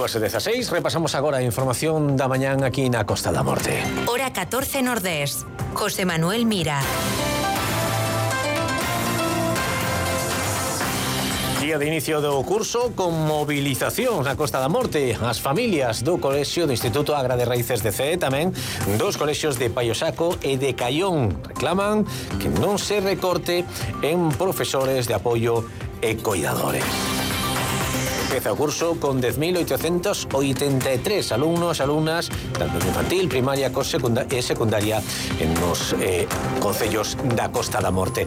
2:16, repasamos agora a información da mañán aquí na Costa da Morte. Hora 14 Nordés. José Manuel Mira. Día de inicio do curso con movilización na Costa da Morte. As familias do Colexio do Instituto Agra de Raíces de CEE, tamén dos colexios de Paiosaco e de Caión, reclaman que non se recorte en profesores de apoio e coidadores. Empeza o curso con 10.883 alumnos, alumnas, tanto infantil, primaria e secundaria nos concellos da Costa da Morte.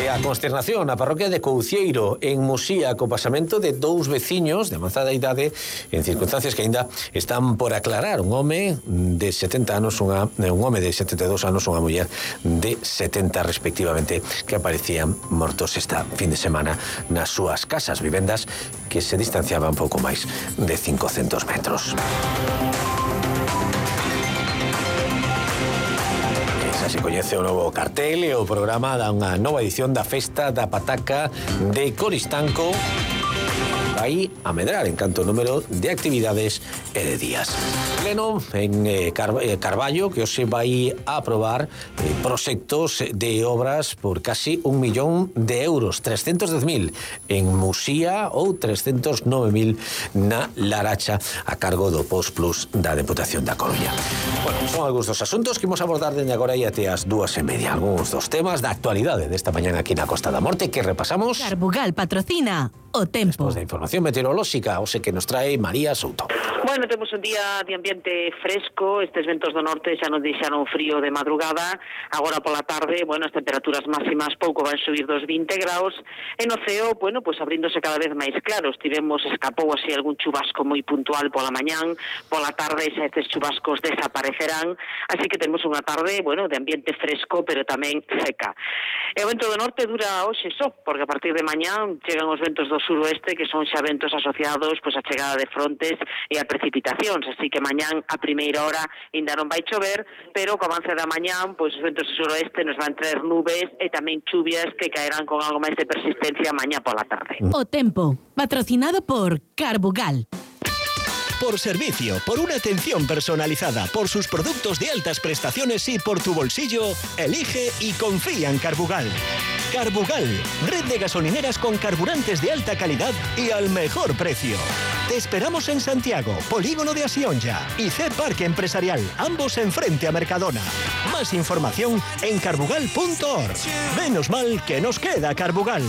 A consternación na parroquia de Coucieiro, en Musía, co pasamento de dous veciños de avanzada idade en circunstancias que aínda están por aclarar. Un home de 70 anos, un home de 72 anos, unha muller de 70 respectivamente, que aparecían mortos esta fin de semana nas súas casas, vivendas que se distanciaban pouco máis de 500 metros. Se coñece o novo cartel e o programa da unha nova edición da Festa da Pataca de Coristanco. Vai a medrar en canto número de actividades e de días. Pleno en Carballo, que hoxe vai a aprobar proxectos de obras por casi 1 millón de euros, 310.000 en Musía ou 309.000 na Laracha, a cargo do Postplus da Deputación da Coruña. Bueno, son algúns dos asuntos que imos abordar dende agora e até as 2:30. Algúns dos temas da actualidade desta mañana aquí na Costa da Morte que repasamos. Carbugal patrocina o tempo. Despois da información meteorolóxica, o que nos trae María Souto. Bueno, temos un día de ambiente fresco, estes ventos do norte xa nos deixaron frío de madrugada, agora pola tarde, bueno, as temperaturas máximas pouco van subir dos 20 graus, e no ceo, bueno, pues abríndose cada vez máis claros, escapou así algún chubasco moi puntual pola mañán, pola tarde xa estes chubascos desaparecerán, así que temos unha tarde, bueno, de ambiente fresco, pero tamén seca. E o vento do norte dura hoxe só, porque a partir de mañán chegan os ventos do suroeste, que son xa ventos asociados pois a chegada de frontes e a precipitacións, así que mañán a primeira hora ainda non vai chover, pero co avance da mañán, pois os ventos do suroeste nos van traer nubes e tamén chuvias que caerán con algo máis de persistencia mañá pola tarde. O tempo, patrocinado por Carbugal. Por servicio, por una atención personalizada, por sus productos de altas prestaciones y por tu bolsillo, elige y confía en Carbugal. Carbugal, red de gasolineras con carburantes de alta calidad y al mejor precio. Te esperamos en Santiago, Polígono de Asionja y C Parque Empresarial, ambos enfrente a Mercadona. Más información en carbugal.org. Menos mal que nos queda Carbugal.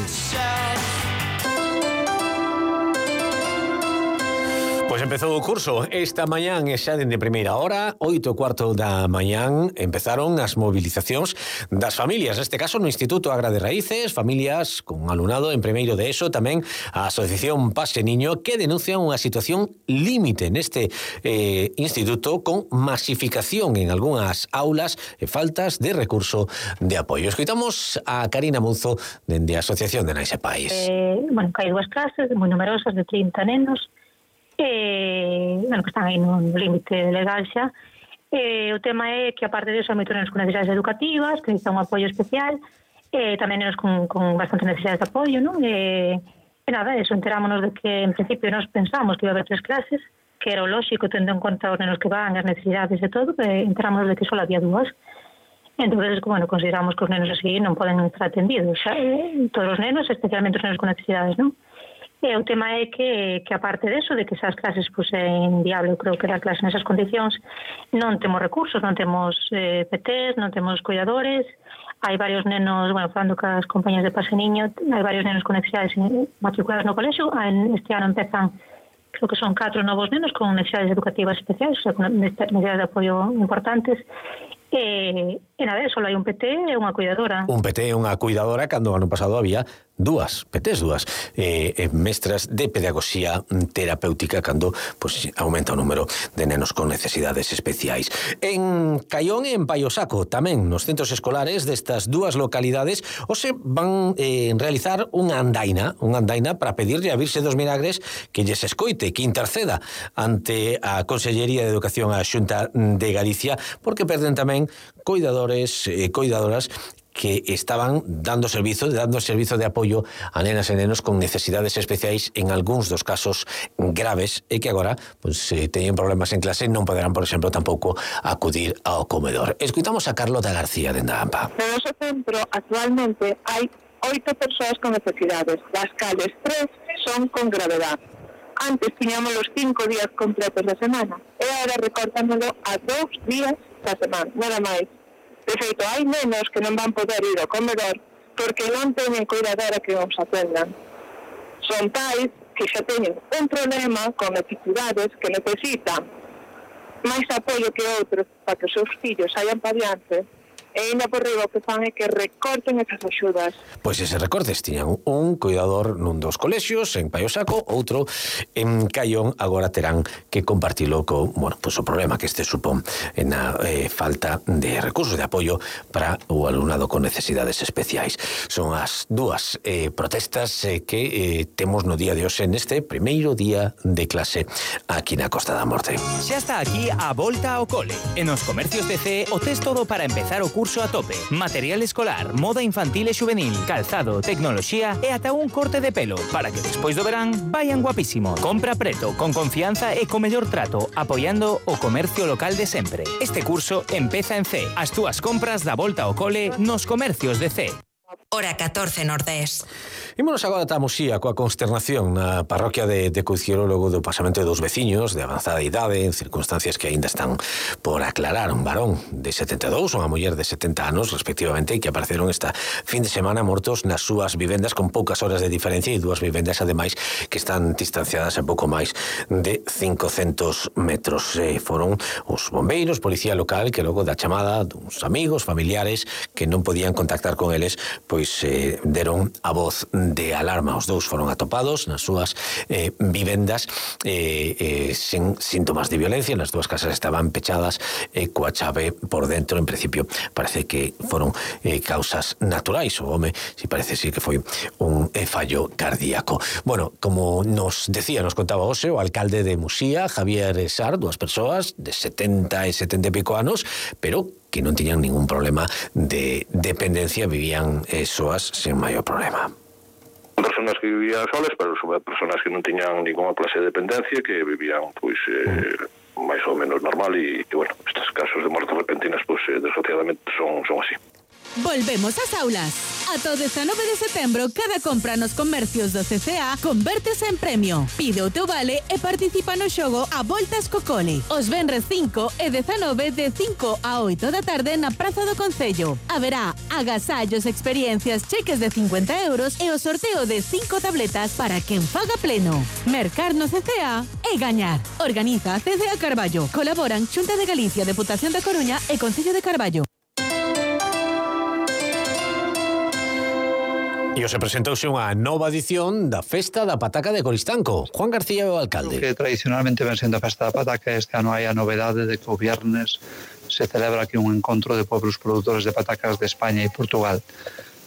Pois empezou o curso esta mañán e xa dende primeira hora, 8:15 da mañán, empezaron as movilizacións das familias, neste caso no Instituto Agra de Raíces, familias con alumnado en primeiro de ESO, tamén a Asociación Pase Niño, que denuncian unha situación límite neste instituto con masificación en algunhas aulas e faltas de recurso de apoio. Escoitamos a Karina Munzo dende a Asociación de Nais e Pais. Bueno, que hai dúas clases moi numerosas de 30 nenos, bueno, que están aí no límite legal xa. O tema é que aparte disso hai moitos nenos con necesidades educativas que necesitan un apoio especial, tamén nenos con bastante necesidades de apoio, non? E nada, eso, enterámonos de que en principio nos pensamos que iba a haber 3 clases, que era o lóxico tendo en conta os nenos que van, as necesidades e todo, enterámonos de que só había 2. Entonces, bueno, consideramos que os nenos así non poden estar atendidos, xa, todos os nenos, especialmente os nenos con necesidades, non? E o tema é que aparte deso, de que esas clases pues, é inviable, eu creo que dar clases nesas condicións, non temos recursos, non temos PTs, non temos cuidadores, hai varios nenos, bueno, falando cas compañías de Pase Niño, hai varios nenos con necesidades matriculados no colexio, este ano empezan, creo que son 4 novos nenos con necesidades educativas especiais, o sea, con necesidades de apoio importantes, e nada, só hai un PT e unha cuidadora. Un PT e unha cuidadora, cando o ano pasado había 2 PTs, mestras de pedagogía terapéutica, cando pues, aumenta o número de nenos con necesidades especiais. En Caión e en Paiosaco, tamén nos centros escolares destas 2 localidades, hoxe van realizar unha andaina para pedirlle a Virxe dos Milagres que lles escoite, que interceda ante a Consellería de Educación a Xunta de Galicia, porque perden tamén coidadores e coidadoras que estaban dando servizo de apoio a nenas e nenos con necesidades especiais en algúns dos casos graves e que agora teñen problemas en clase e non poderán, por exemplo, tampouco acudir ao comedor. Escuitamos a Carlota García de Ndampa. No noso centro actualmente hai 8 persoas con necesidades, das cales 3 son con gravedad. Antes tiñamos los 5 días completos da semana e agora recortámoslo a 2 días da semana, nada máis. De feito, hai nenos que non van poder ir ao comedor porque non teñen cuidadora que os atendan. Son pais que xa teñen un problema con necesidades que necesitan máis apoio que outros para que os seus fillos saian pa diante. E ainda por riba o que fan é que recorten esas axudas. Pois ese recortes tiñan un cuidador nun dos colexios, en Paio Saco, outro en Caión, agora terán que compartilo co, o problema que este supón na falta de recursos de apoio para o alumnado con necesidades especiais. Son as dúas protestas que temos no día de hoxe neste primeiro día de clase aquí na Costa da Morte. Xa está aquí a volta ao cole. En os comercios de CE o tes todo para empezar o curso a tope. Material escolar, moda infantil e juvenil, calzado, tecnoloxía e ata un corte de pelo para que despois do verán vayan guapísimos. Compra preto, con confianza e co mellor trato, apoiando o comercio local de sempre. Este curso empeza en CE. As túas compras da volta ao cole nos comercios de CE. Hora 14 Nordés. Ímonos agora ata Muxía coa consternación na parroquia de Coiciero logo do pasamento de 2 veciños de avanzada idade en circunstancias que aínda están por aclarar. Un varón de 72, unha muller de 70 anos respectivamente, que apareceron esta fin de semana mortos nas súas vivendas con poucas horas de diferencia e 2 vivendas ademais que están distanciadas a pouco máis de 500 metros. Foron os bombeiros, policía local, que logo da chamada dos amigos, familiares que non podían contactar con eles, pois deron a voz de alarma. Os 2 foron atopados nas súas vivendas sen síntomas de violencia. Nas 2 casas estaban pechadas coa chave por dentro. En principio parece que foron causas naturais. O home si parece que foi un fallo cardíaco. Bueno, como nos contaba hoxe o alcalde de Muxía, Javier Sar, 2 persoas de 70 e 70 e pico anos, pero que non tiñan ningún problema de dependencia, vivían soas sen maior problema. Personas que vivían solas, pero sobre personas que non tiñan ninguna clase de dependencia, que vivían máis ou menos normal e bueno, estes casos de mortes repentinas desgraciadamente son así. Volvemos ás aulas. Ata o 19 de setembro, cada compra nos comercios do CCA convértese en premio. Pide o teu vale e participa no xogo A Voltas co Cole. Os venres 5 e 19 de 5 a 8 da tarde na Praza do Concello. Haberá agasallos, experiencias, cheques de 50 euros e o sorteo de 5 tabletas para quen faga pleno. Mercar no CCA e gañar. Organiza CCA Carballo. Colaboran Xunta de Galicia, Deputación da Coruña e Concello de Carballo. E hoxe presentouse unha nova edición da Festa da Pataca de Coristanco. Juan García, o alcalde. Que tradicionalmente ven sendo a Festa da Pataca, este ano hai a novedade de que o viernes se celebra aquí un encontro de pueblos produtores de patacas de España e Portugal.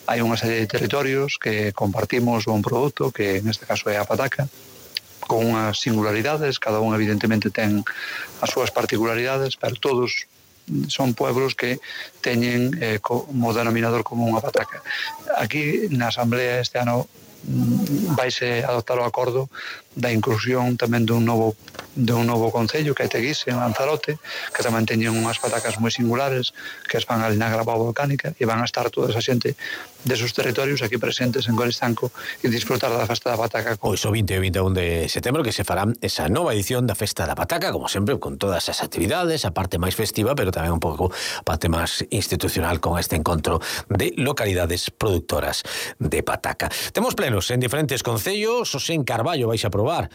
Hai unha serie de territorios que compartimos un produto, que neste caso é a pataca, con unhas singularidades, cada un evidentemente ten as súas particularidades, pero todos son pueblos que teñen como denominador común a pataca. Aquí na Asamblea este ano vaise adoptar o acordo da inclusión tamén dun novo concello que é Teguise, en Lanzarote, que tamén teñen unhas patacas moi singulares que van ali na grava volcánica e van a estar toda esa xente desos territorios aquí presentes en Coristanco e disfrutar da Festa da Pataca. Pois o 20 e 21 de setembro que se fará esa nova edición da Festa da Pataca, como sempre, con todas as actividades, a parte máis festiva, pero tamén un pouco a parte máis institucional con este encontro de localidades productoras de pataca. Temos plenos en diferentes concellos, os en Carballo vais a probar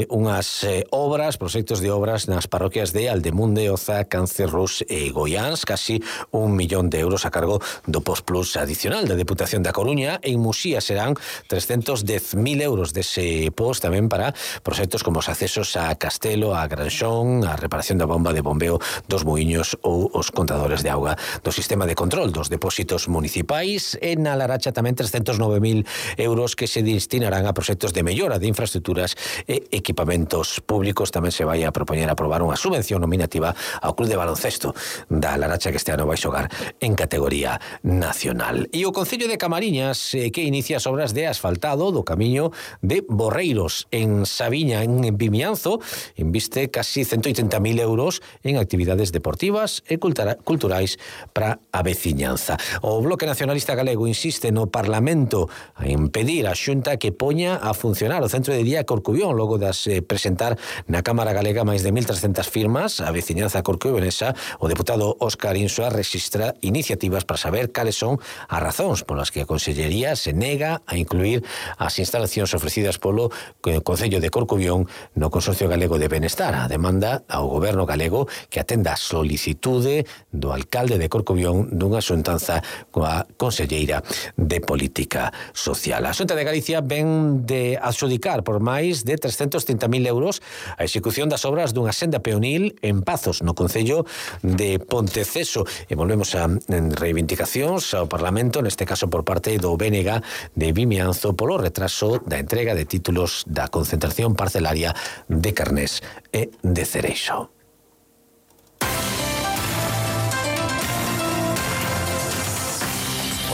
unhas obras, proxectos de obras nas parroquias de Aldemunde, Oza, Cancerrús e Goiáns, casi 1 millón de euros a cargo do Postplus adicional da Deputación da Coruña. En Muxía serán 310.000 euros dese post tamén para proxectos como os accesos a Castelo, a Granxón, a reparación da bomba de bombeo dos muiños ou os contadores de auga do sistema de control dos depósitos municipais. En A Laracha tamén 309.000 euros que se destinarán a proxectos de mellora de infraestruturas infraestructuras e equipamentos públicos. Tamén se vai a propoñer aprobar unha subvención nominativa ao Club de Baloncesto da Laracha, que este ano vai xogar en categoría nacional. E o Concello de Camariñas, que inicia as obras de asfaltado do camiño de Borreiros en Sabiña, en Vimianzo, inviste casi 180.000 euros en actividades deportivas e culturais para a veciñanza. O Bloque Nacionalista Galego insiste no Parlamento en pedir á Xunta que poña a funcionar o Centro de Día Corcubión logo das presentar na Cámara Galega máis de 1.300 firmas. A veciñanza corcubionesa, o deputado Óscar Insua rexistra iniciativas para saber cales son as razóns polas que a Consellería se nega a incluir as instalacións ofrecidas polo Concello de Corcubión no Consorcio Galego de Benestar. A demanda ao Goberno galego que atenda a solicitude do alcalde de Corcubión dunha xuntanza coa Conselleira de Política Social. A Xunta de Galicia ven de adxudicar por máis de 330.000 euros a execución das obras dunha senda peonil en Pazos, no Concello de Ponteceso. E volvemos a reivindicacións ao Parlamento, neste caso por parte do BNG de Vimianzo, polo retraso da entrega de títulos da concentración parcelaria de carnés e de cereixo.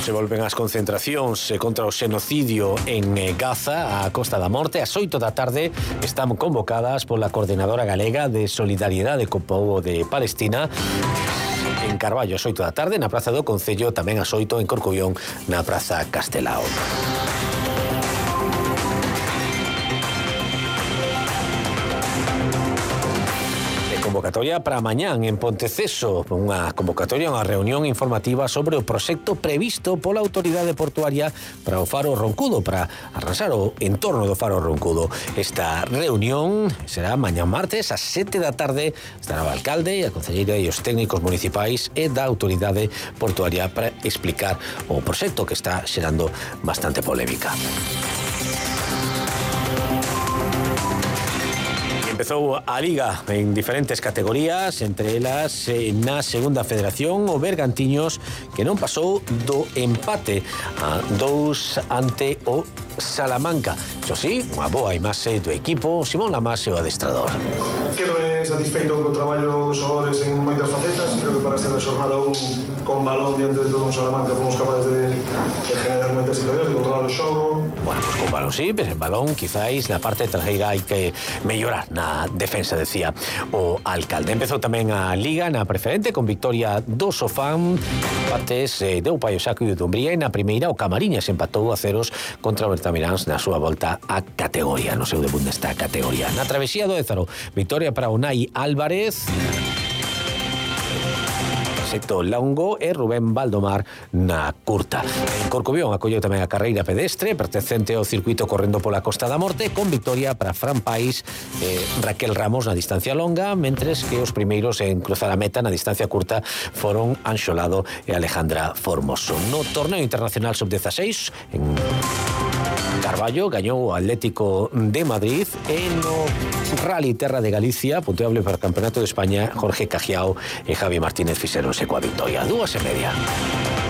Se volven as concentracións contra o xenocidio en Gaza, a Costa da Morte. Ás 8 da tarde están convocadas pola Coordinadora Galega de Solidariedade co Pobo de Palestina en Carballo ás 8 da tarde, na Praza do Concello, tamén ás 8 en Corcubión, na Praza Castelao. Convocatoria para mañán en Ponteceso, unha convocatoria, unha reunión informativa sobre o proxecto previsto pola Autoridade Portuaria para o Faro Roncudo, para arrasar o entorno do Faro Roncudo. Esta reunión será mañán martes ás 7 da tarde. Estará o alcalde, a concelleira e os técnicos municipais e da Autoridade Portuaria para explicar o proxecto que está xerando bastante polémica. Empezou a Liga en diferentes categorías, entre elas na Segunda Federación o Bergantiños, que non pasou do empate a 2 ante o Salamanca. Iso sí, unha boa imaxe do equipo, Simón Lamas e o adestrador. Quedo satisfeito co traballo dos xogadores en moitas facetas. Creo que para esta jornada con balón diante de todo un Salamanca fomos capaces de generar moitas situacións, de controlar o xogo. Bueno, pues con balón sí, pero en balón quizáis na parte traseira hai que mellorar na defensa, decía o alcalde. Empezou tamén a Liga na preferente con victoria do Sofán, empates de Upaio Saco e de Dumbría, e na primeira o Camariñas empatou a 0 contra o Bertamiráns na súa volta a categoría, no seu debut nesta categoría. Na travesía do Ézaro, victoria para Unai Álvarez, Secto Longo e Rubén Valdomar na curta. En Corcubión acolleu tamén a carreira pedestre pertencente ao circuito correndo pola Costa da Morte, con victoria para Fran Pais e Raquel Ramos na distancia longa, mentres que os primeiros en cruzar a meta na distancia curta foron Anxo Lado e Alejandra Formoso. No torneo internacional sub-16 en Carballo gañou o Atlético de Madrid, e no Rally Terra de Galicia, punteable para o Campeonato de España, Jorge Cajiao e Javi Martínez fixeronse coa victoria. 2:30.